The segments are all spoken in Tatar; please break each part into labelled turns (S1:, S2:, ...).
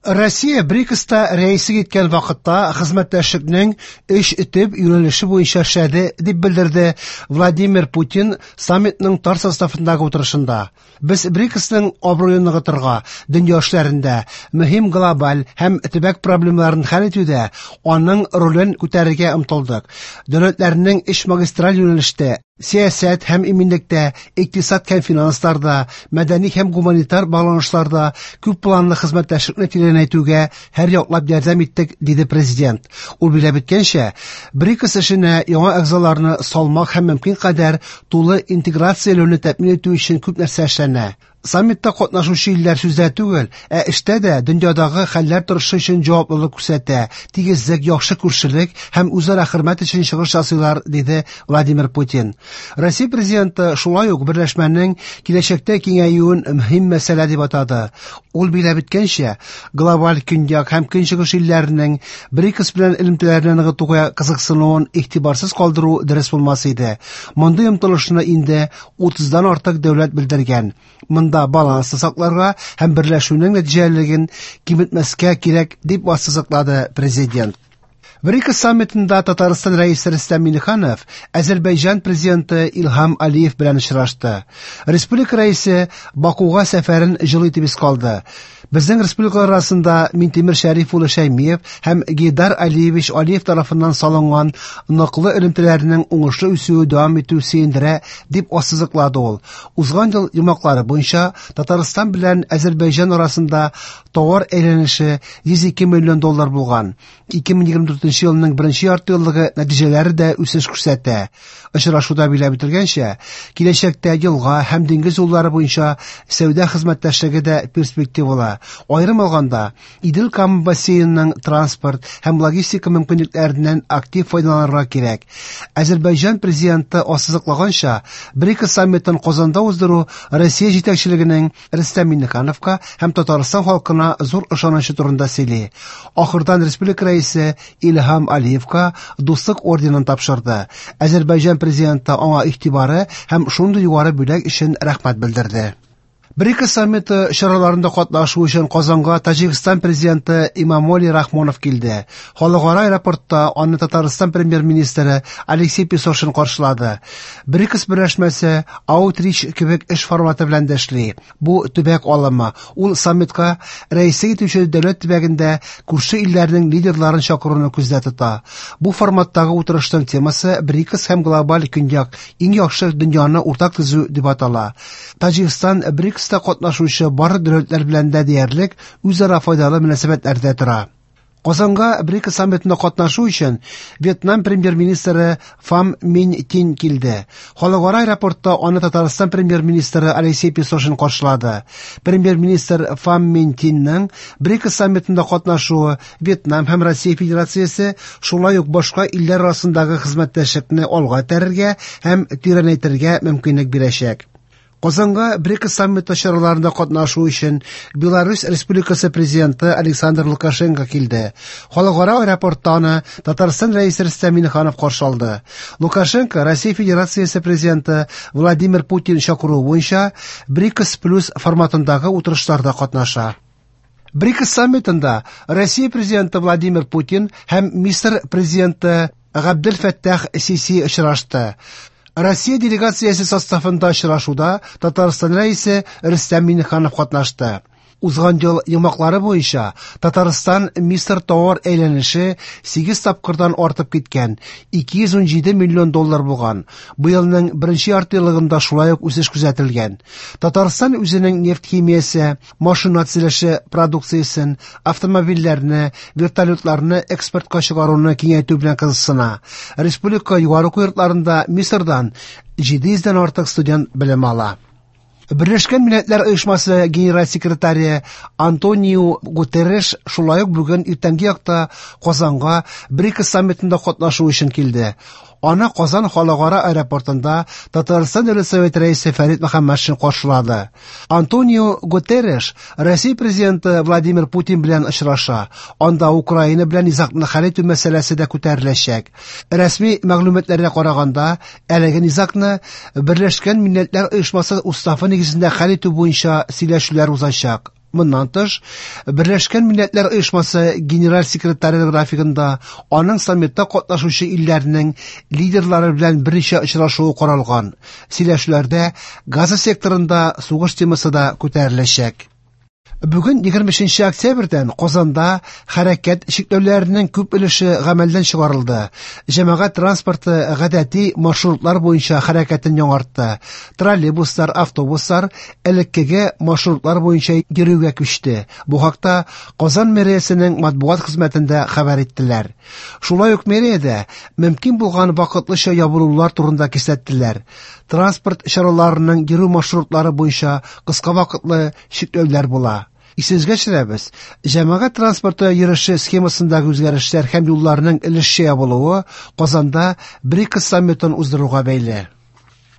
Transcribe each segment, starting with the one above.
S1: Россия БРИКСта рәислек иткән вакытта хезмәттәшлекнең өч төп юнәлеше буенча эшләде, дип белдерде Владимир Путин саммитның тар составындагы утырышында. Без БРИКСның абруен ныгытырга, дөнья эшләрендә, мөһим глобаль һәм төбәк проблемаларын хәл итүдә аның ролен күтәрергә омтылдык. Дәүләтләрнең өч магистраль юнәлештә сәясәт һәм иминлектә, икътисад һәм финансларда, мәдәни һәм гуманитар багланышларда күп планлы хезмәттәшлекне тирәнәйтүгә һәр яклап ярдәм иттек, диде президент. Ул билгеләп үткәнчә, БРИКС эшенә яңа әгъзаларны салмак һәм мөмкин кадәр тулы интеграцияләүне тәэмин итү өчен күп нәрсә эшләнә. Саммитта катнашучы илләр сүздә түгел, ә эштә дә дөньядагы хәлләр торышы өчен җаваплылык күрсәтә, тигезлек, яхшы күршелек һәм үзара хөрмәт өчен чыгыш ясыйлар, диде Владимир Путин. Россия президенты шулай ук берләшмәнең киләчәктә киңәюен мөһим мәсьәлә дип атады. Ул билгеләп үткәнчә, глобаль көньяк һәм көнчыгыш илләренең БРИКС белән элемтәләрне ныгытуга кызыксынуын игътибарсыз калдыру дөрес булмас иде. Мондый омтылышны инде 30-дан артык дәүләт белдергән. Монда балансны сакларга һәм берләшүнең нәтиҗәлелеген киметмәскә кирәк, дип ассызыклады президент. БРИКС саммитында Татарстан рәисе Рөстәм Миңнеханов Азәрбайҗан президенты Илһам Алиев белән очрашты. Республика рәисе Бакуга сәфәрен җылы итеп искә алды. Безнең республикалар арасында Минтимер Шәриф улы Шәймиев һәм Гейдар Алиевич Алиев тарафыннан салынган ныклы элемтәләрнең уңышлы үсүе дәвам итү сөендерә, дип ассызыклады ул. Узган ел йомгаклары буенча Татарстан белән Азәрбайҗан арасында товар әйләнеше 102 миллион доллар булган. 2024 елның беренче яртыеллыгы нәтиҗәләре дә үсеш күрсәтә. Очрашуда билгеләп үтелгәнчә, киләчәктә елга һәм диңгез юллары буенча сәүдә хезмәттәшлеге дә перспективалы. Аерым алганда, Идел-Кама бассейнының транспорт һәм логистика мөмкинлекләреннән актив файдаланырга кирәк. Азәрбайҗан президенты ассызыклаганча, БРИКС саммитын Казанда уздыру Россия җитәкчелегенең Рөстәм Миңнехановка һәм Татарстан халкына зур ышанычы турында сөйли. Ахырдан республика рәисе Илһам Алиевка Дуслык орденын тапшырды. Азәрбайҗан президенты аңа игътибары һәм шундый югары бүләк өчен рәхмәт белдерде. БРИКС саммиты чараларында катнашу өчен Казанга Таҗикстан президенты Имамоли Рахмонов килде. Халыкара аэропортта аны Татарстан премьер-министры Алексей Песошин каршылады. БРИКС берләшмәсе Аутрич кебек эш форматы белән дә эшли. Бу төбәк алымы. Ул саммитка рәислек итүче дәүләт төбәгендә күрше илләрнең лидерларын чакыруны күздә тота. Бу форматтагы утырышның темасы БРИКС һәм глобаль көньяк иң яхшы дөньяны уртак төзү дип атала. Таҗикстан БРИКСта катнашучы барлык дәүләтләр белән дә диярлек үзара файдалы мөнәсәбәтләрдә тора. Казанга БРИКС саммитында катнашу өчен Вьетнам премьер-министры Фам Мин Тин килде. Халыкара аэропортта аны Татарстан премьер-министры Алексей Песошин каршылады. Премьер-министр Фам Мин Тинның БРИКС саммитында катнашуы Вьетнам һәм Россия Федерациясе, шулай ук башка илләр арасындагы хезмәттәшлекне алга этәрергә һәм тирәнәйтергә мөмкинлек бирәчәк. Казанга БРИКС саммиты чараларында катнашу өчен Беларусь Республикасы президенты Александр Лукашенко килде. Халыкара аэропортта аны Татарстан рәисе Рөстәм Миңнеханов каршы алды. Лукашенко Россия Федерациясе президенты Владимир Путин чакыруы буенча БРИКС плюс форматындагы утырышларда катнаша. БРИКС саммитында Россия президенты Владимир Путин һәм Мисыр президенты Габдел Фәттах Сиси очрашты. Россия делегациясе составында очрашуда Татарстан рәисе Рөстәм Миңнеханов катнашты. Узган ел йомгаклары буенча Татарстан Мисыр товар әйләнеше 8 тапкырдан артып киткән, 217 миллион доллар булган. Быелның беренче яртыеллыгында шулай ук үсеш күзәтелгән. Татарстан үзенең нефть химиясе, машина төзелеше продукциясен, автомобильләрне, вертолетларны экспортка чыгаруны киңәйтү белән кызыксына. Республика югары уку йортларында Мисырдан 700 дән артык студент белем ала. Берләшкән Милләтләр Оешмасы генераль секретаре Антонио Гутерреш шулай ук бүген иртәнге якта Казанга БРИКС саммитында катнашу өчен килде. Аны Казан халыкара аэропортында Татарстан Дәүләт Советы рәисе Фәрит Мөхәммәтшин каршылады. Антонио Гутерреш Россия президенты Владимир Путин белән очраша. Анда Украина белән низагны хәл итү мәсьәләсе дә күтәреләчәк. Рәсми мәгълүматларга караганда, әлеге низагны Берләшкән Милләтләр Оешмасы уставы нигезендә хәл итү буенча сөйләшүләр узачак. Моннан тыш, Берләшкән Милләтләр Оешмасы генераль секретаре графигында аның саммитта катнашучы илләрнең лидерлары белән берничә очрашуы каралган. Сөйләшүләрдә Газа секторында сугыш темасы да күтәреләчәк. Бүген 23 октябрьдән Казанда хәрәкәт чикләүләренең күп өлеше гамәлдән чыгарылды. Җәмәгать транспорты гадәти маршрутлар буенча хәрәкәтен яңартты. Троллейбуслар, автобуслар элеккеге маршрутлар буенча йөрүгә күчте. Бу хакта Казан мэриясенең матбугат хезмәтендә хәбәр иттеләр. Шулай ук мэриядә мөмкин булган вакытлыча ябылулар турында кисәттеләр. Транспорт чараларының йөрү маршрутлары буенча кыска вакытлы чикләүләр була. Исегезгә төшерәбез, җәмәгать транспорты йөреше схемасындагы үзгәрешләр һәм юлларның өлешчә ябылуы Казанда БРИКС саммитын уздыруга бәйле.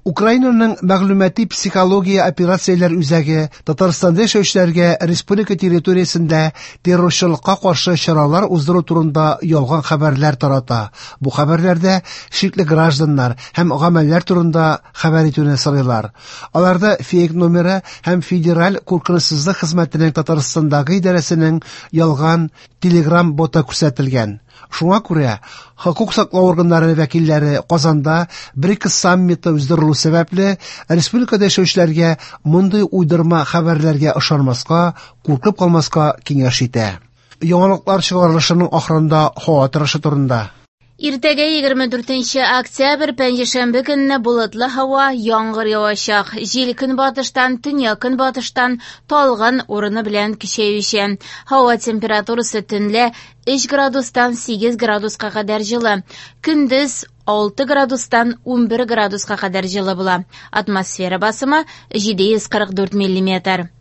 S1: Украинаның мәгълүмати психология операцияләр үзәге Татарстанда яшәүчеләргә республика территориясендә террорчылыкка каршы чаралар уздыру турында ялган хәбәрләр тарата. Бу хәбәрләрдә шикле гражданнар һәм гамәлләр турында хәбәр итүне сорыйлар. Аларда фейк номеры һәм Федераль куркынычсызлык хезмәтенең Татарстандагы идарәсенең ялган Telegram боты күрсәтелгән. Шуңа күрә хокук саклау органнары вәкилләре Казанда БРИКС саммиты уздырылу сәбәпле республикада яшәүчеләргә мондый уйдырма хәбәрләргә ышанмаска, куркып калмаска киңәш итә. Яңалыклар чыгарылышының ахырында һава торышы турында.
S2: Иртәгә 24 октябрь пәнҗешәмбе көнне болытлы һава, яңгыр явачак. Җил көнбатыштан, төньяк-көнбатыштан талгын урыны белән көчәючән. Һава температурасы төнлә 3 градустан 8 градуска кадәр җылы. Көндез 6 градустан 11 градуска кадәр җылы була. Атмосфера басымы 744 миллиметр.